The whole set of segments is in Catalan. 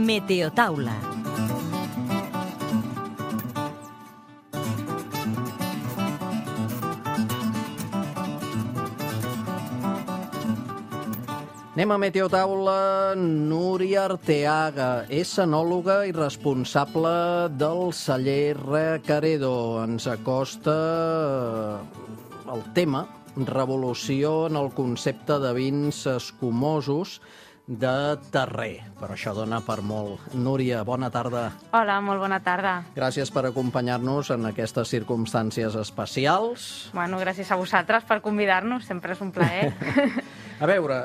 Meteotaula. Anem a Meteotaula. Núria Arteaga és enòloga i responsable del celler Recaredo. Ens acosta el tema revolució en el concepte de vins escumosos de terrer, però això dona per molt. Núria, bona tarda. Hola, molt bona tarda. Gràcies per acompanyar-nos en aquestes circumstàncies especials. Bueno, gràcies a vosaltres per convidar-nos, sempre és un plaer. A veure,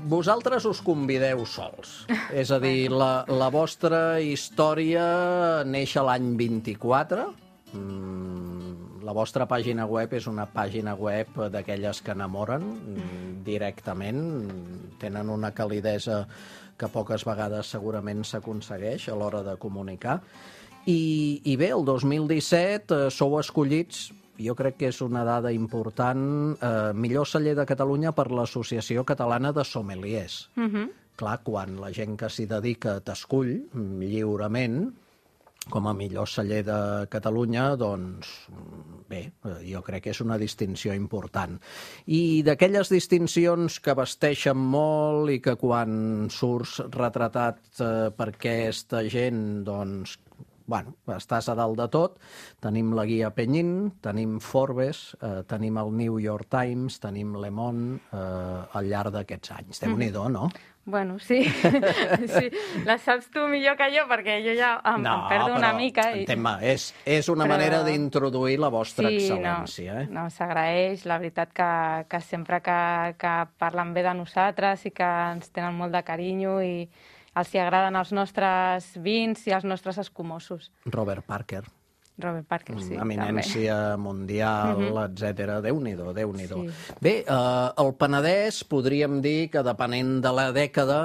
vosaltres us convideu sols. És a dir, la vostra història neix a l'any 24. La vostra pàgina web és una pàgina web d'aquelles que enamoren directament. Tenen una calidesa que poques vegades segurament s'aconsegueix a l'hora de comunicar. I bé, el 2017 sou escollits, jo crec que és una dada important, millor celler de Catalunya per l'Associació Catalana de Sommeliers. Clar, quan la gent que s'hi dedica t'escull lliurement com a millor celler de Catalunya, doncs bé, jo crec que és una distinció important. I d'aquelles distincions que vesteixen molt i que quan surts retratat per aquesta gent, doncs, bueno, estàs a dalt de tot. Tenim la Guia Penyín, tenim Forbes, tenim el New York Times, tenim Le Monde al llarg d'aquests anys. Déu-n'hi-do, no? Bueno, sí. Sí. La saps tu millor que jo, perquè jo ja em perdo una mica. Entén-me, és una manera d'introduir la vostra excel·lència. No, s'agraeix. La veritat que sempre que parlen bé de nosaltres i que ens tenen molt de carinyo i els hi agraden els nostres vins i els nostres escumosos. Robert Parker, sí. Eminència mundial, etc. Déu-n'hi-do, Déu-n'hi-do. Sí. Bé, el Penedès podríem dir que depenent de la dècada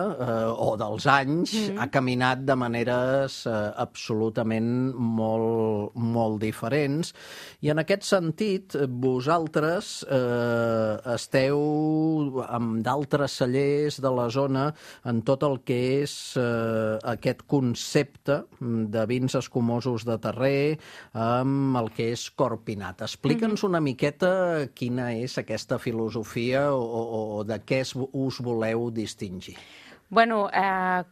o dels anys ha caminat de maneres absolutament molt diferents. I en aquest sentit, vosaltres esteu amb d'altres cellers de la zona en tot el que és aquest concepte de vins escumosos de terrer, amb el que és Corpinat. Explica'ns una miqueta quina és aquesta filosofia o de què us voleu distingir. Bueno,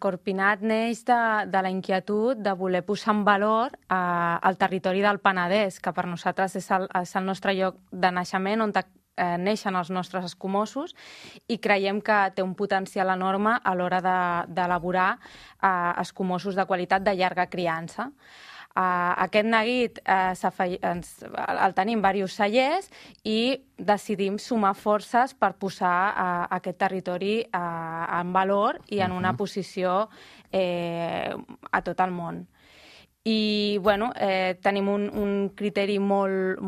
Corpinat neix de la inquietud de voler posar en valor el territori del Penedès, que per nosaltres és el nostre lloc de naixement, on neixen els nostres escumosos, i creiem que té un potencial enorme a l'hora d'elaborar escumosos de qualitat de llarga criança. Aquest neguit el tenim diversos cellers i decidim sumar forces per posar aquest territori en valor i en una posició a tot el món. I, bueno, tenim un criteri molt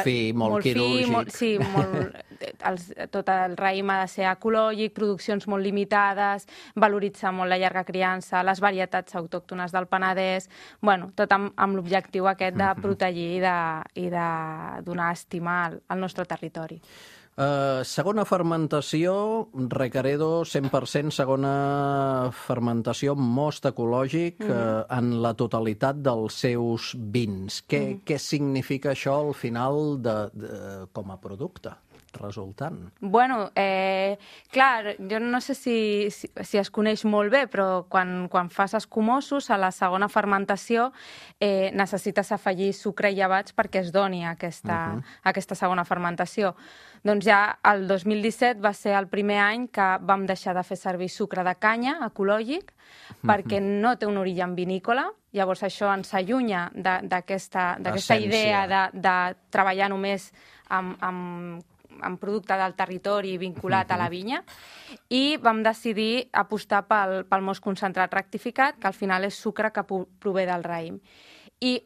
fi, molt quirúrgic. Sí, tot el raïm ha de ser ecològic, produccions molt limitades, valoritzar molt la llarga criança, les varietats autòctones del Penedès, bueno, tot amb l'objectiu aquest de protegir i de donar estima al nostre territori. Segona fermentació, Recaredo, 100% segona fermentació, most ecològic en la totalitat dels seus vins. Què significa això al final com a producte resultant? Bueno, clar, jo no sé si es coneix molt bé, però quan fas escumosos a la segona fermentació necessites afegir sucre i llevats perquè es doni aquesta segona fermentació. Doncs ja el 2017 va ser el primer any que vam deixar de fer servir sucre de canya ecològic perquè no té un origen vinícola. Llavors això ens allunya d'aquesta idea de treballar només amb producte del territori vinculat a la vinya, i vam decidir apostar pel most concentrat rectificat, que al final és sucre que prové del raïm. I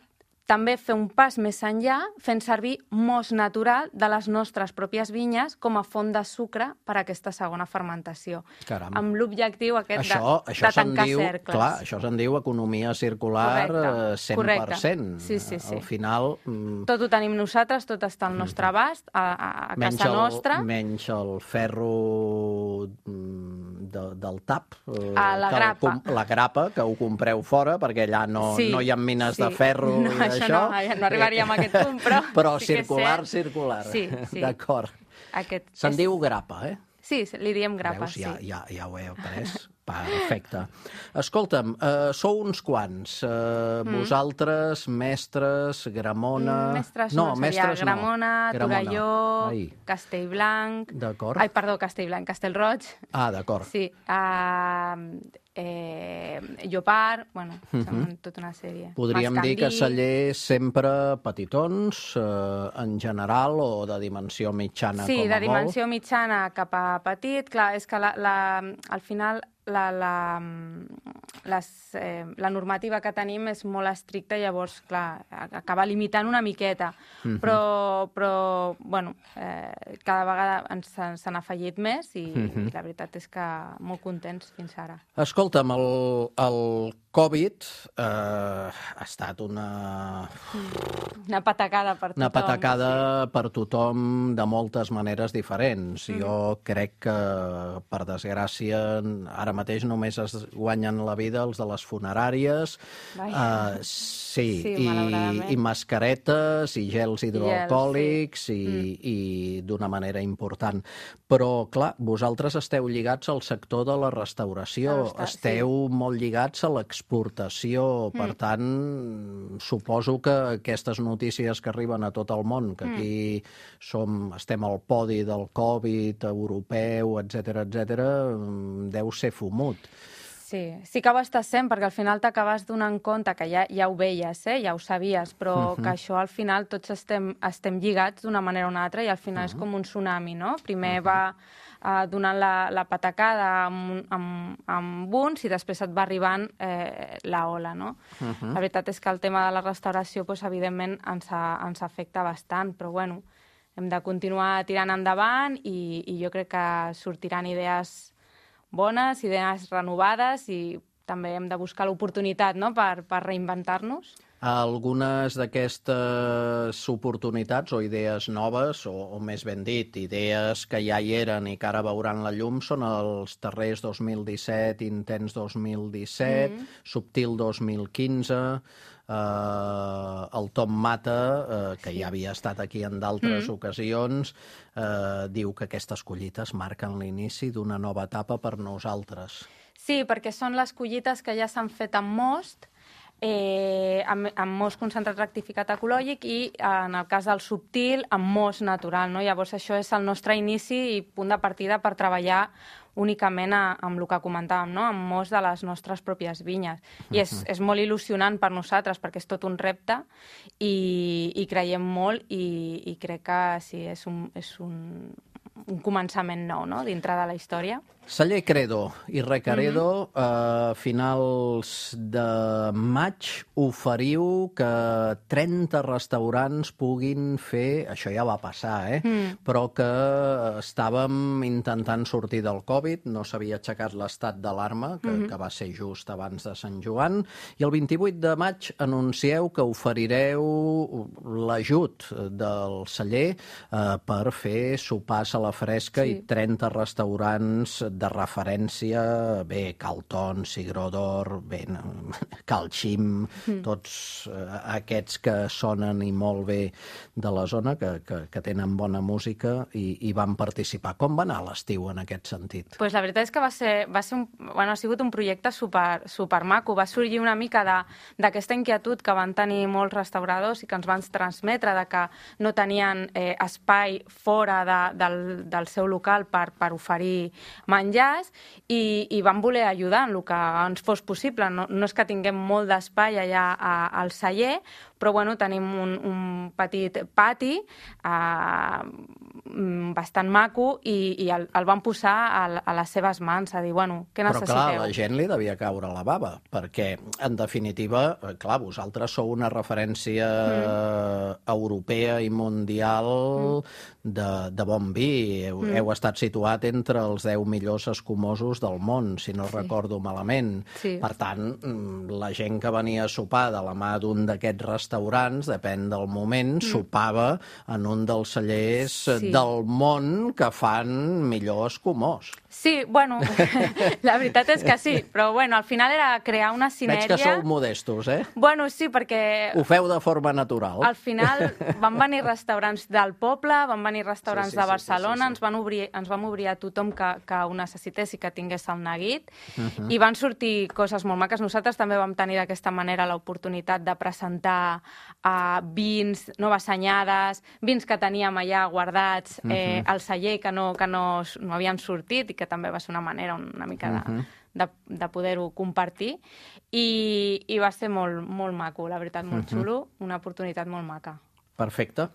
també fer un pas més enllà fent servir most natural de les nostres pròpies vinyes com a font de sucre per a aquesta segona fermentació. Caram. Amb l'objectiu aquest de tancar cercles. Clar, això se'n diu economia circular. Correcte. 100%. Sí. Al final... Tot ho tenim nosaltres, tot està al nostre abast, a casa nostra. Menys el ferro del tap. La grapa. La grapa, que ho compreu fora, perquè allà no hi ha mines de ferro i d'això. No arribaríem a aquest punt, però... Però sí circular. Sí. D'acord. Se'n diu grapa, eh? Sí, li diem grapa, veus, sí. Ja ho he après. Perfecte. Escolta'm, sou uns quants. Vosaltres, mestres, Gramona... Mestres no, seria Gramona, Torelló, Castellblanc... D'acord. Ai, perdó, Castellblanc, Castellroig. D'acord. Sí. Llopart, bueno, són tota una sèrie. Podríem dir que Celler sempre petitons, en general, o de dimensió mitjana com a molt? Sí, de dimensió mitjana cap a petit. Clar, és que al final la normativa que tenim és molt estricta, llavors, clar, acaba limitant una miqueta. Però bueno, cada vegada se n'ha afegit més i la veritat és que molt contents fins ara. Escolta'm, el Covid ha estat una patacada per tothom. Una patacada per tothom de moltes maneres diferents. Jo crec que, per desgràcia, ara mateix només es guanyen la vida els de les funeràries. Sí, i mascaretes, i gels hidroalcohòlics, i d'una manera important. Però, clar, vosaltres esteu lligats al sector de la restauració, esteu molt lligats a l'exportació, per tant, suposo que aquestes notícies que arriben a tot el món, que aquí estem al podi del Covid europeu, etc, deu ser fumut. Sí que ho estàs sent, perquè al final t'acabes donant compte que ja ho veies, ja ho sabies, però que això al final tots estem lligats d'una manera o una altra i al final és com un tsunami, no? Primer va donant la patacada amb uns i després et va arribant la ola, no? La veritat és que el tema de la restauració, evidentment, ens afecta bastant, però bueno, hem de continuar tirant endavant i jo crec que sortiran idees bones, idees renovades i també hem de buscar l'oportunitat, no?, per reinventar-nos. Algunes d'aquestes oportunitats o idees noves, o més ben dit, idees que ja hi eren i que ara veuran la llum, són els Terrers 2017, Intens 2017, Subtil 2015... el Tom Mata, que ja havia estat aquí en d'altres ocasions, diu que aquestes collites marquen l'inici d'una nova etapa per nosaltres. Sí, perquè són les collites que ja s'han fet amb most, amb most concentrat rectificat ecològic i, en el cas del Subtil, amb most natural, no? Llavors, això és el nostre inici i punt de partida per treballar únicament amb el que comentàvem, no?, amb most de les nostres pròpies vinyes. I és molt il·lusionant per nosaltres, perquè és tot un repte i creiem molt i crec que sí, és un començament nou, no?, dintre de la història. Celler Credo i Recaredo, a finals de maig oferiu que 30 restaurants puguin fer, això ja va passar, però que estàvem intentant sortir del Covid, no s'havia aixecat l'estat d'alarma, que va ser just abans de Sant Joan, i el 28 de maig anuncieu que oferireu l'ajut del celler per fer sopars a la fresca i 30 restaurants de referència, bé, Calton, Sigrodor, bé, Calxim, tots aquests que sonen i molt bé de la zona, que tenen bona música i van participar. Com va anar l'estiu en aquest sentit? Pues la veritat és que ha sigut un projecte supermaco. Va sorgir una mica d'aquesta inquietud que van tenir molts restauradors i que ens van transmetre de que no tenien espai fora del seu local per oferir menjars i vam voler ajudar en el que ens fos possible. No és que tinguem molt d'espai allà al celler, però bueno, tenim un petit pati bastant maco i el vam posar a les seves mans, a dir, bueno, què necessiteu? Però clar, la gent li devia caure la bava, perquè, en definitiva, clar, vosaltres sou una referència europea i mundial de bon vi. Heu estat situat entre els 10 millors millors escumosos del món, si no recordo malament. Sí. Per tant, la gent que venia a sopar de la mà d'un d'aquests restaurants, depèn del moment, sopava en un dels cellers del món que fan millor escumós. Sí, bueno, la veritat és que sí, però bueno, al final era crear una sinergia... Veig que sou modestos, eh? Bueno, sí, perquè... Ho feu de forma natural. Al final van venir restaurants del poble, van venir restaurants de Barcelona, ens vam obrir a tothom que ho necessités i que tingués el neguit, i van sortir coses molt maques. Nosaltres també vam tenir d'aquesta manera l'oportunitat de presentar vins, noves anyades, vins que teníem allà guardats al celler que no havien sortit i que també va ser una manera una mica de poder-ho compartir i va ser molt, molt maco, la veritat, molt xulo, una oportunitat molt maca. Perfecte.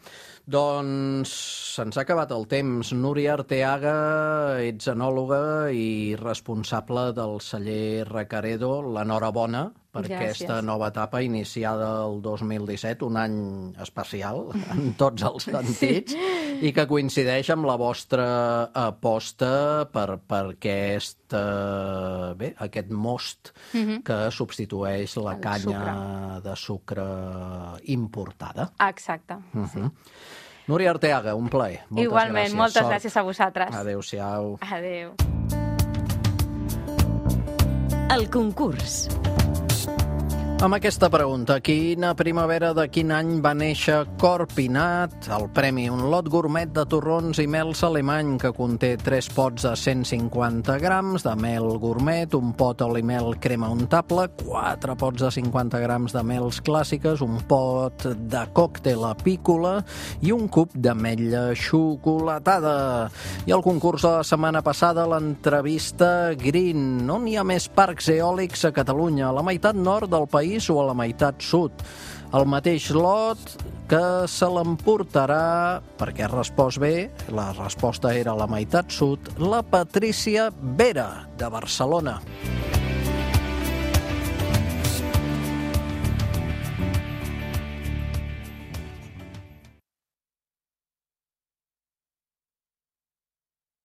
Doncs se'ns ha acabat el temps. Núria Arteaga, ets enòloga i responsable del celler Recaredo. L'enhorabona per aquesta nova etapa iniciada el 2017, un any especial en tots els sentits, i que coincideix amb la vostra aposta per aquest most que substitueix la canya de sucre importada. Exacte, sí. Núria Arteaga, un plaer. Igualment, moltes gràcies a vosaltres. Adéu-siau. Adéu. El concurs. Amb aquesta pregunta, quina primavera de quin any va néixer Corpinat? El premi, un lot gourmet de torrons i mels alemany que conté 3 pots de 150 grams de mel gourmet, un pot oli mel crema untable, 4 pots de 50 grams de mels clàssiques, un pot de còctel apícola i un cub d'ametlla xocolatada. I el concurs de la setmana passada, l'entrevista Green. On hi ha més parcs eòlics a Catalunya? A la meitat nord del país o a la meitat sud? El mateix lot que se l'emportarà, perquè has respost bé, la resposta era a la meitat sud, la Patrícia Vera, de Barcelona.